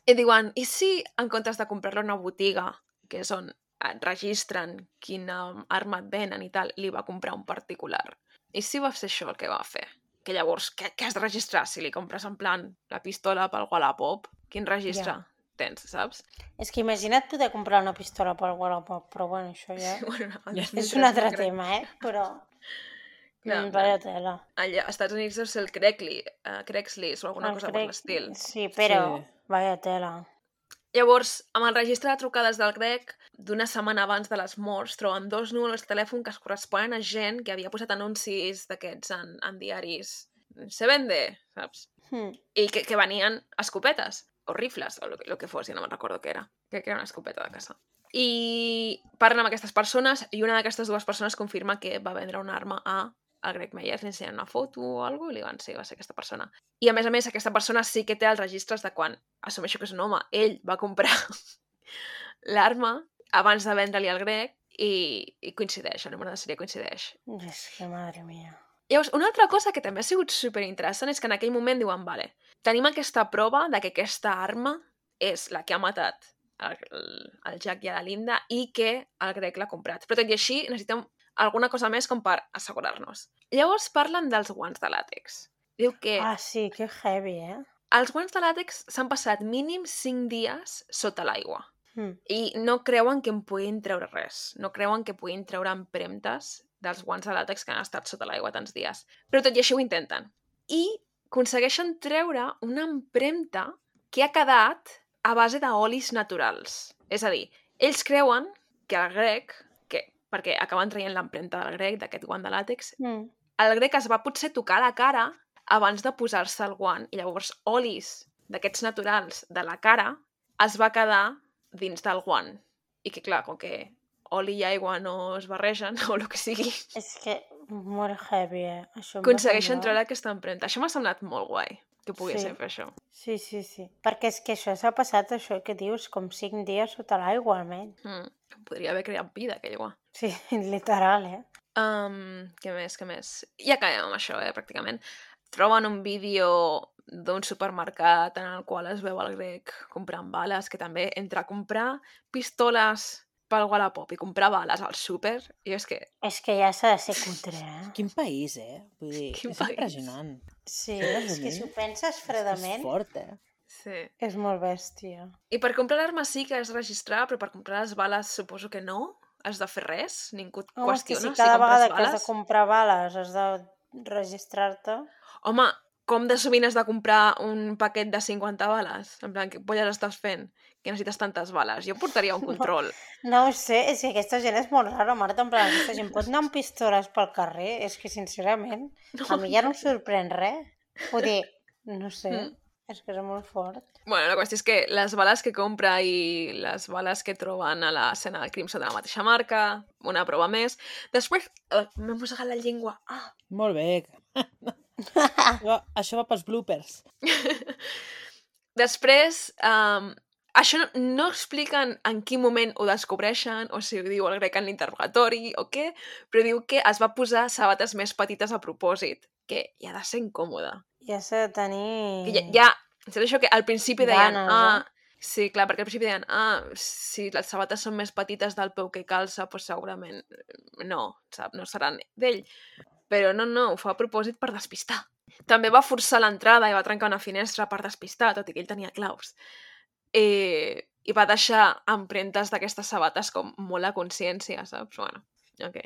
I diuen, i si en comptes de comprar-lo a una botiga, que és on et registren quina arma et venen i tal, li va comprar un particular? I si va ser això el que va fer? Que llavors, què has de registrar? Si li compres en plan la pistola pel Wallapop, quin registre tens, saps? És que imagina't poder comprar una pistola pel Wallapop, però bueno, això ja és un altre tema, però vaya tela. Allà, als Estats Units deu ser el Craigslist o alguna cosa per l'estil. Sí, però vaya tela. Llavors, amb el registre de trucades del grec, d'una setmana abans de les morts, troben 2 números de telèfon que es corresponen a gent que havia posat anuncis d'aquests en diaris. Se vende, saps? I que venien escopetes o rifles, o el que fos, ja no me'n recordo què era. Crec que era una escopeta de caça. I parlen amb aquestes persones i una d'aquestes 2 persones confirma que va vendre una arma al Greg Meyers, li ensenyen una foto o alguna cosa i li van, sí, va ser aquesta persona. I a més, aquesta persona sí que té els registres de quan, assumeixo que és un home, ell va comprar l'arma abans de vendre-li al Greg i coincideix, el número de sèrie coincideix. És que, madre mia. Llavors, una altra cosa que també ha sigut superinteressant és que en aquell moment diuen, vale, tenim aquesta prova de que aquesta arma és la que ha matat el Jack i a la Linda i que el Greg l'ha comprat. Però tot i així necessitem alguna cosa més com per assegurar-nos. Llavors parlen dels guants de làtex. Diu que... Ah, sí, que heavy, Els guants de làtex s'han passat mínim 5 dies sota l'aigua. I no creuen que en puguin treure res. No creuen que puguin treure empremtes dels guants de làtex que han estat sota l'aigua tants dies. Però tot i així ho intenten. I aconsegueixen treure una empremta que ha quedat a base d'olis naturals. És a dir, ells creuen que el grec, perquè acaben traient l'empremta del grec, d'aquest guant de làtex, el grec es va potser tocar la cara abans de posar-se el guant. I llavors olis d'aquests naturals de la cara es va quedar dins del guant. I que, clar, com que oli i aigua no es barregen, o el que sigui. És que molt heavy, Això aconsegueixen treure aquesta empremta. Això m'ha semblat molt guai, que poguessin fer això. Sí. Perquè és que això s'ha passat, això que dius, com 5 dies sota l'aigua, almenys. Podria haver creat vida, aquell guà. Sí, literal, Què més? Ja acabem amb això, pràcticament. Troben un vídeo d'un supermercat en el qual es veu el grec comprant bales, que també entre comprar pistoles pel Wallapop i comprar bales al súper, i és que... És que ja s'ha de ser cutre, Quin país, Vull dir, és impressionant. Sí, és que si ho penses fredament... És fort, Sí. És molt bèstia. I per comprar l'arma sí que has de registrar, però per comprar les bales suposo que no. Has de fer res? Ningú et qüestiona si cada vegada que has de comprar bales has de registrar-te... Home, com de sovint has de comprar un paquet de 50 bales? En plan, què polles estàs fent? Que necessites tantes bales? Jo portaria un control. No ho sé, és que aquesta gent és molt rara, Marta, en plan, aquesta gent pot anar amb pistoles pel carrer? És que, sincerament, a mi ja no em sorprèn res. Vull dir, no sé, és que és molt fort. Bueno, la qüestió és que les bales que compra i les bales que troben a l'escena del crim són de la mateixa marca, una prova més. Després, m'he mossegat la llengua. Molt bé. Això va pels bloopers. Després, això no expliquen en quin moment ho descobreixen, o si ho diu el grec en l'interrogatori o què, però diu que es va posar sabates més petites a propòsit, que ja ha de ser incòmode. Ja s'ha de tenir... Ja, és això que al principi deien... Ganes, Sí, clar, perquè al principi deien si les sabates són més petites del peu que calça, doncs segurament no, sap? No seran d'ell. Però no, ho fa a propòsit per despistar. També va forçar l'entrada i va trencar una finestra per despistar, tot i que ell tenia claus. I va deixar empremtes d'aquestes sabates com molt a consciència, saps? Bueno, ok.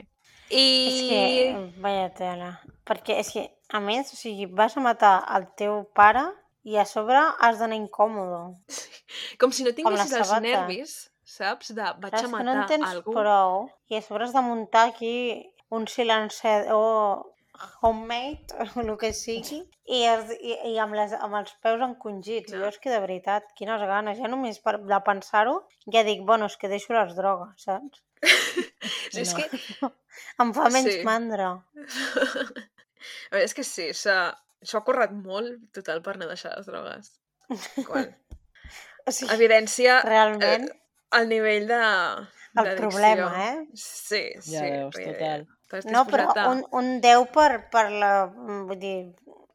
És que, vaya tela. Perquè és que, a més, o sigui, vas a matar el teu pare i a sobre has d'anar incòmodo. Sí. Com si no tinguessis els nervis, saps? De vaig a matar no en tens algú. Prou, i a sobre has de muntar aquí un silenciador homemade, o el que sigui, i amb els peus encongits. No. Jo és que de veritat, quines ganes. Ja només de pensar-ho, ja dic, bueno, és que deixo les drogues, saps? Sí, és que... Em fa menys Sí. mandra. A veure, és que sí, s'ho ha currat molt, total, per no deixar les drogues. Qual? O sigui, Evidència realment, el nivell de el d'addicció. problema, eh? Sí, sí. Ja veus, perquè total. t'has No, però disposat a... un 10 per la... Vull dir,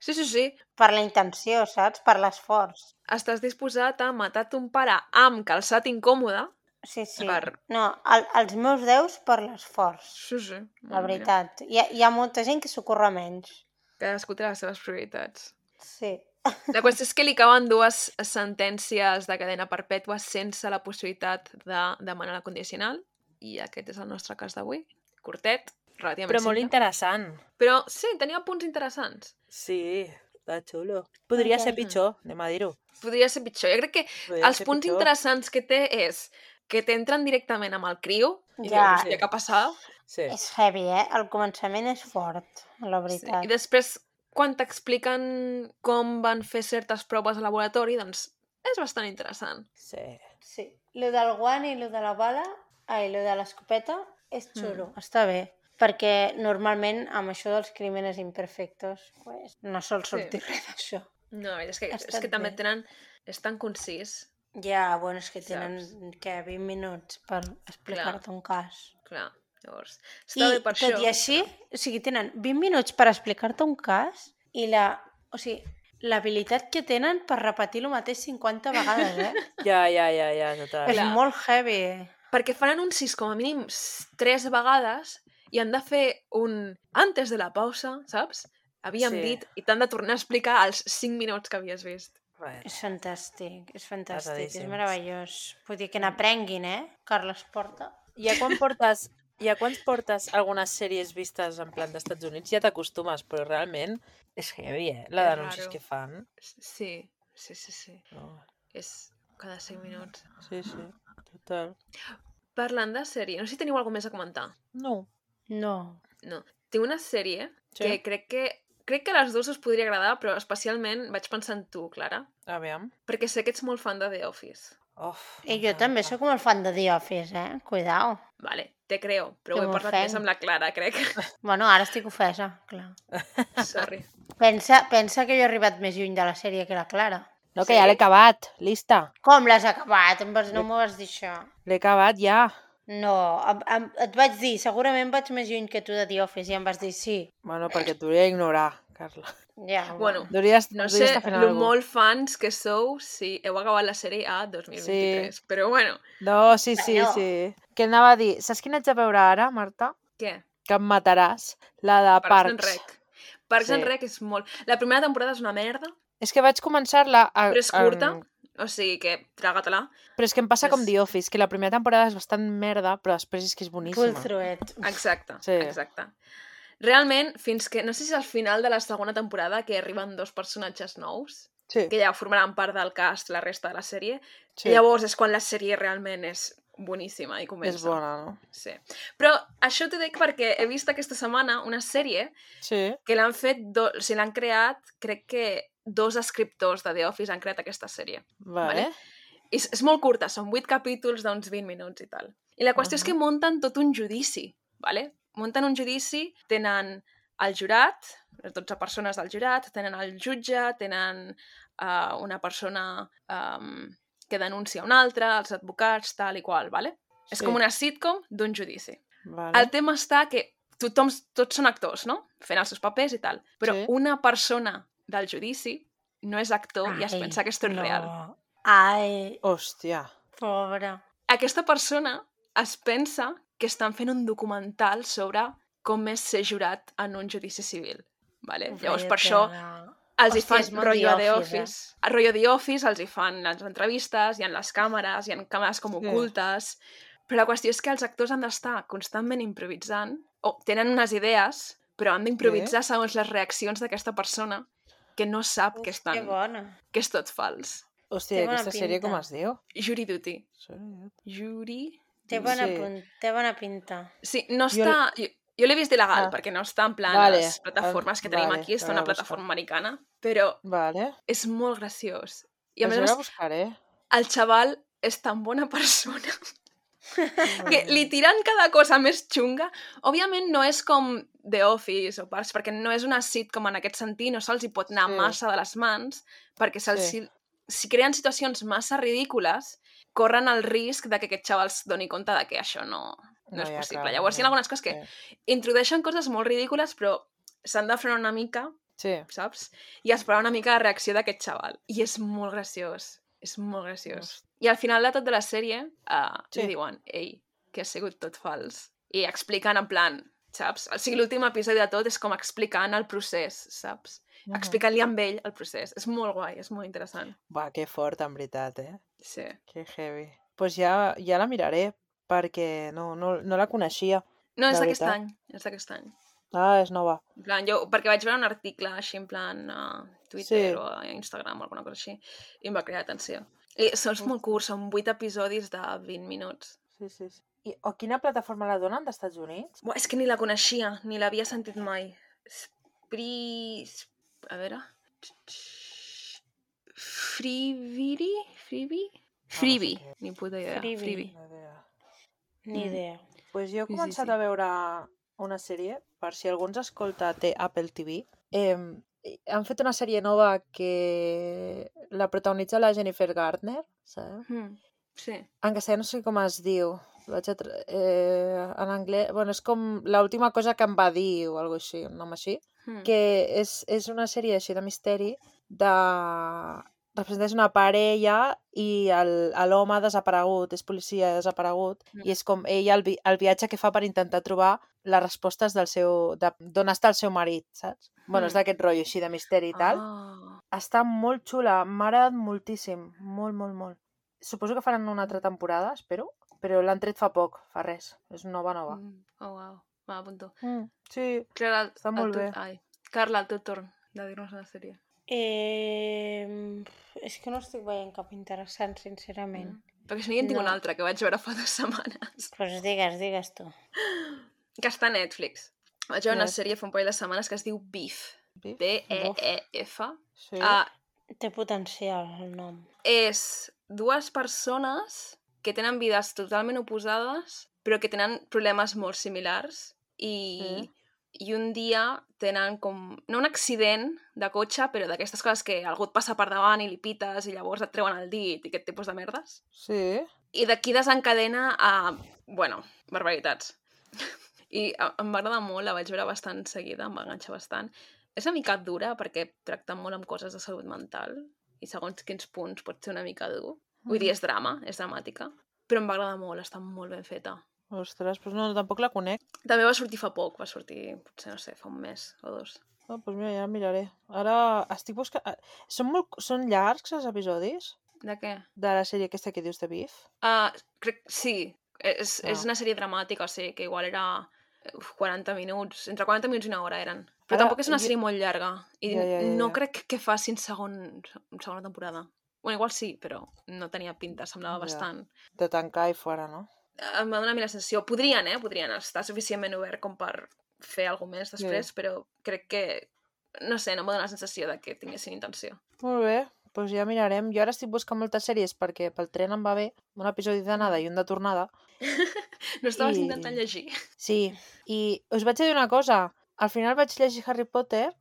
Sí, sí, sí. per la intenció, saps? Per l'esforç. Estàs disposat a matar ton pare amb calçat incòmode. Sí, sí. Per- No, els meus 10 per l'esforç. Sí, sí. La veritat. Hi ha molta gent que s'ho curra menys. Cadascú té les seves prioritats. Sí. La qüestió és que li caben 2 sentències de cadena perpètua sense la possibilitat de demanar la condicional, i aquest és el nostre cas d'avui. Curtet, relativament Però molt simple. interessant. Però sí, tenia punts interessants. Sí, està xulo. Podria ser Mhm. pitjor, anem a dir-ho. Podria ser pitjor. Jo crec que Podria els ser punts pitjor. interessants que té és que t'entren directament amb el criu i Ja. dius, hòstia, què ha passat? Sí. És heavy, eh? El començament és fort, la Sí. veritat. I després, quan t'expliquen com van fer certes proves al laboratori, doncs és bastant interessant. Sí. Sí. Lo del guant i lo de la bala, lo de l'escopeta, és xulo, està bé. Perquè normalment amb això dels crímenes imperfectos pues, no sol sortir res d'això. No, és que, Ha és estat que també bé. tenen... És tan concís. Ja, bueno, és que tenen 20 minuts per explicar-te un cas. Clar, llavors... Està bé per tot això. i així, o sigui, tenen 20 minuts per explicar-te un cas i l'habilitat que tenen per repetir el mateix 50 vegades, eh? Ja, total. És molt heavy. Perquè fan anuncis com a mínim 3 vegades i han de fer un antes de la pausa, saps? Havíem Sí. dit, i t'han de tornar a explicar els 5 minuts que havies vist. Bueno, És fantàstic, és fantàstic, és Pesadíssims. meravellós. Vull dir que n'aprenguin, eh? Carles Porta. ja quan portes algunes sèries vistes en plan d'Estats Units ja t'acostumes, però realment és heavy, la És d'anuncis raro. que fan. Sí. No. És cada 5 minuts. Sí, total. Parlant de sèrie, no sé si teniu alguna més a comentar. No. No. No. Tinc una sèrie Sí. que crec que a les dues us podria agradar, però especialment vaig pensar en tu, Clara, Aviam. perquè sé que ets molt fan de The Office. I jo també sóc molt fan de The Office, eh? Cuidao. Vale, te creo, però Que ho he parlat m'ofenc. més amb la Clara, crec. Bueno, ara estic ofesa, clar. Sorry. Pensa que jo he arribat més lluny de la sèrie que la Clara. No, que ja l'he acabat. Lista. Com l'has acabat? No m'ho vas dir això. L'he acabat ja. No, et vaig dir, segurament vaig més lluny que tu de The Office i em vas dir sí. Bueno, perquè t'hauria d'ignorar, Carla. Ja, Bueno, Podries no sé estar fent lo alguna cosa. molt fans que sou si heu acabat la sèrie a 2023, però bueno, No, sí. Bueno. Que anava a dir, saps quina haig de veure ara, Marta? què? Que em mataràs. La de Parks and Parks. Rec. Parks and Sí. Rec és molt... La primera temporada és una merda, És que vaig començar-la... però és curta, o sigui que traga-te-la. Però és que em passa com És- The Office, que la primera temporada és bastant merda, però després és que és boníssima. Pull through it. Exacte, Sí. exacte. Realment, fins que... No sé si és al final de la segona temporada que arriben 2 personatges nous, Sí, que ja formaran part del cast la resta de la sèrie, sí. llavors és quan la sèrie realment és boníssima i comença. És bona, no? Sí. Però això t'ho dic perquè he vist aquesta setmana una sèrie Sí. que l'han fet, o sigui, l'han creat, crec que 2 escriptors de The Office han creat aquesta sèrie. Vale. I és molt curta, són 8 capítols d'uns 20 minuts i tal. I la qüestió és que munten tot un judici, vale? Munten un judici, tenen el jurat, les 12 persones del jurat, tenen el jutge, tenen una persona que denuncia una altra, els advocats, tal i qual, vale? És Sí. com una sitcom d'un judici. Vale. El tema està que tots són actors, no? Fent els seus papers i tal. Però Sí. una persona del judici no és actor i es Ai, pensa que esto és real. no. Ai, Hòstia. pobra. Aquesta persona es pensa que estan fent un documental sobre com és ser jurat en un judici civil. Vale? Llavors, per això els hi Hòstia, és fan molt rotllo The The Office, Office. A rotllo The Office els hi fan les entrevistes, hi ha les càmeres, hi ha càmeres com Sí. ocultes... Però la qüestió és que els actors han d'estar constantment improvisant, o tenen unes idees, però han d'improvisar segons les reaccions d'aquesta persona que no sap que Que bona. és tot fals. Hòstia, Té bona aquesta sèrie pinta. com es diu? Jury Duty. Sí. Jury... Té bona, Sí. té bona pinta. Sí, no Jo- està... Jo l'he vist il·legal, Ah. perquè no està en plan Vale, les plataformes que tenim vale, aquí, està una l'hauré de buscar. plataforma americana, però Vale. és molt graciós. I a Això més a la més, buscaré. el xaval és tan bona persona que li Mm. tiren cada cosa més xunga. Òbviament no és com The Office o Parks, perquè no és una sitcom en aquest sentit, no se'ls hi pot anar Sí. massa de les mans, perquè Sí. si creen situacions massa ridícules, corren el risc de que aquest xaval es doni compte de que això no és ja, possible. clar, Llavors hi ha algunes coses que Sí. introdueixen coses molt ridícules, però s'han de frenar una mica, Sí. saps? I esperar una mica la reacció d'aquest xaval. I és molt graciós. És molt graciós. I al final de tot de la sèrie Sí. li diuen, ei, que ha sigut tot fals. I expliquen en plan, saps? O sigui, l'últim episodi de tot és com explicant el procés, saps? Explicant-li amb ell el procés. És molt guai, és molt interessant. Va, que fort, en veritat, Sí. Que heavy. Pues ja la miraré, perquè no la coneixia. No, és de d'aquest veritat. any. És d'aquest any. Ah, és nova. En plan, perquè vaig veure un article així en plan a Twitter Sí. o a Instagram o alguna cosa així i em va cridar atenció. I són molt curts, són 8 episodis de 20 minuts. Sí. I a quina plataforma la donen, d'Estats Units? Buah, és que ni la coneixia, ni l'havia sentit mai. A veure... Freebie? Freebie, sé què. ni puta idea. Freebie. Ni idea. Pues jo he Sí, començat sí. a veure una sèrie, per si algú ens escolta té Apple TV. Han fet una sèrie nova que la protagonitza la Jennifer Garner, saps? Sí. En castellà no sé com es diu. En anglès... Bueno, és com l'última cosa que em va dir o alguna així, un nom així. Que és una sèrie així de misteri representeix una parella i l'home desaparegut, és policia desaparegut, i és com ell el viatge que fa per intentar trobar les respostes d'on està el seu marit, saps? Bueno, és d'aquest rotllo així de misteri i tal. Està molt xula, m'ha agradat moltíssim, molt. Suposo que faran una altra temporada, espero, però l'han tret fa poc, fa res, és nova. Oh, wow. Va, apunto. Sí, Clara, està molt bé. Carla, el teu torn de dir-nos una sèrie. És que no estic veient cap interessant, sincerament. Perquè si no, jo en tinc No. una altra que vaig veure fa 2 setmanes. Pues digues tu. Que està a Netflix. Vaig veure una Yes. sèrie fa un parell de setmanes que es diu Beef. Beef? B-E-E-F. Sí. Té potencial, el nom. És 2 persones que tenen vides totalment oposades, però que tenen problemes molt similars i un dia tenen com... No un accident de cotxe, però d'aquestes coses que algú et passa per davant i li pites i llavors et treuen el dit i aquest tipus de merdes. Sí. I d'aquí desencadena a... Bueno, barbaritats. I em va agradar molt, la vaig veure bastant seguida, em va enganxar bastant. És una mica dura perquè tracta molt amb coses de salut mental i segons quins punts pot ser una mica dur. Vull dir, és drama, és dramàtica, però em va agradar molt, està molt ben feta. Ostres, doncs no, tampoc la conec. També va sortir fa poc, va sortir, potser, no sé, fa un mes o 2. No, doncs mira, ja la miraré. Ara estic buscant... Són llargs els episodis De què? de la sèrie aquesta que dius de Beef? Crec, sí, és una sèrie dramàtica, o sigui, que igual era 40 minuts, entre 40 minuts i una hora eren. Però Ara, tampoc és una sèrie molt llarga. I Ja. no crec que facin segona temporada. Bueno, igual sí, però no tenia pinta, semblava Ja. bastant. De tancar i fora, no? Em va donar a mi la sensació. Podrien estar suficientment obert com per fer alguna més després, però crec que, no sé, no em va donar la sensació de que tinguessin intenció. Molt bé, doncs ja mirarem. Jo ara estic buscant moltes sèries perquè pel tren em va bé un episodi d'anada i un de tornada. No estaves intentant llegir? Sí, i us vaig dir una cosa. Al final vaig llegir Harry Potter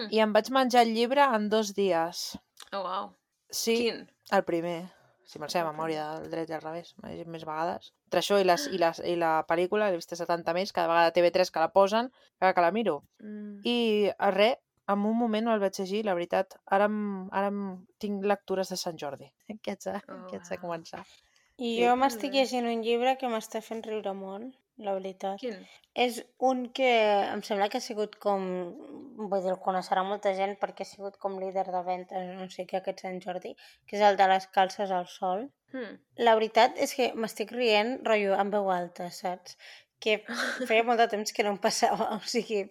i em vaig menjar el llibre en 2 dies. Oh, wow. Sí, Quin? el primer. Si me'l sé de memòria del dret i al revés, m'he llegit més vegades. Entre això i la pel·lícula, l'he vist 70 més, cada vegada TV3 que la posen, cada que la miro. I res, en un moment no el vaig llegir, la veritat. Ara tinc lectures de Sant Jordi. Que haig de començar. I jo m'estic llegint un llibre que m'està fent riure molt, la veritat. Quin? És un que em sembla que ha sigut com... Vull dir, el coneixerà molta gent perquè ha sigut com líder de ventes, no sé què, aquest Sant Jordi, que és el de les calces al sol. La veritat és que m'estic rient, rotllo, en veu alta, saps? Que feia molt de temps que no em passava. O sigui,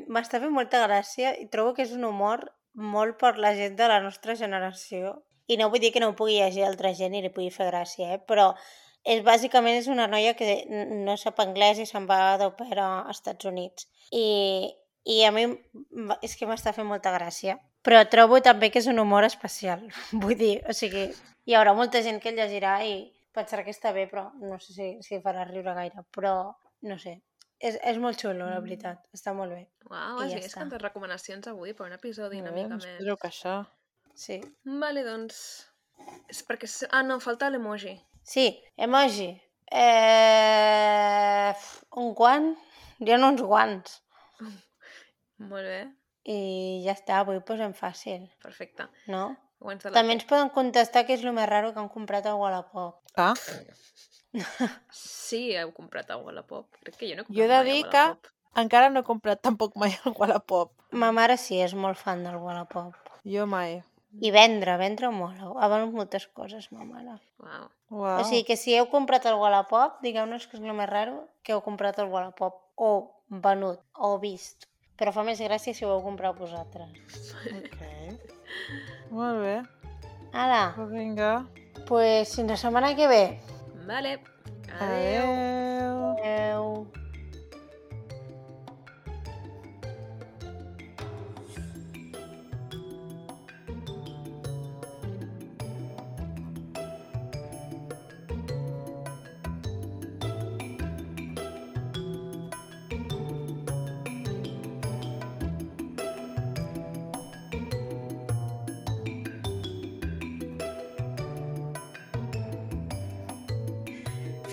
m'està fent molta gràcia i trobo que és un humor molt per la gent de la nostra generació. I no vull dir que no ho pugui llegir altra gent i li pugui fer gràcia, però bàsicament és una noia que no sap anglès i se'n va d'au pair als Estats Units. I a mi és que m'està fent molta gràcia. Però trobo també que és un humor especial. Vull dir, o sigui, hi haurà molta gent que el llegirà i pensarà que està bé, però no sé si farà riure gaire. Però, no sé, és molt xulo, la veritat. Està molt bé. Uau, has vist quantes recomanacions avui per un episodi una mica més. Espero que això... Sí. Vale, doncs... És perquè... no, falta l'emoji. Sí, emoji. Un guant? Hi ha uns guants. Molt bé. I ja està, avui posem fàcil. Perfecte. No? També ens poden contestar què és el més raro que han comprat a Wallapop. Ah? Sí, heu comprat a Wallapop. Crec que jo no he comprat Jo he de mai dir a que Wallapop. encara no he comprat tampoc mai el Wallapop. Ma mare sí, és molt fan del Wallapop. Jo mai. I vendre molt. Ha venut moltes coses, ma mare. Uau. Uau. O sigui que si heu comprat el Wallapop, digueu-nos que és el més raro que heu comprat el Wallapop. O venut, o vist. Però fa més gràcia si ho heu comprat vosaltres. Ok. Molt bé. Ara, Vinga. pues fins la setmana que ve. Vale. Adéu. Adéu.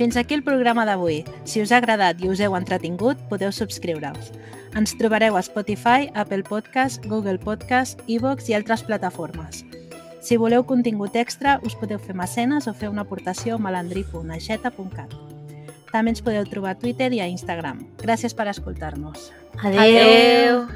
Fins aquí el programa d'avui. Si us ha agradat i us heu entretingut, podeu subscriure-us. Ens trobareu a Spotify, Apple Podcast, Google Podcast, iVoox i altres plataformes. Si voleu contingut extra, us podeu fer mecenes o fer una aportació a malandri.aixeta.cat. També ens podeu trobar a Twitter i a Instagram. Gràcies per escoltar-nos. Adéu.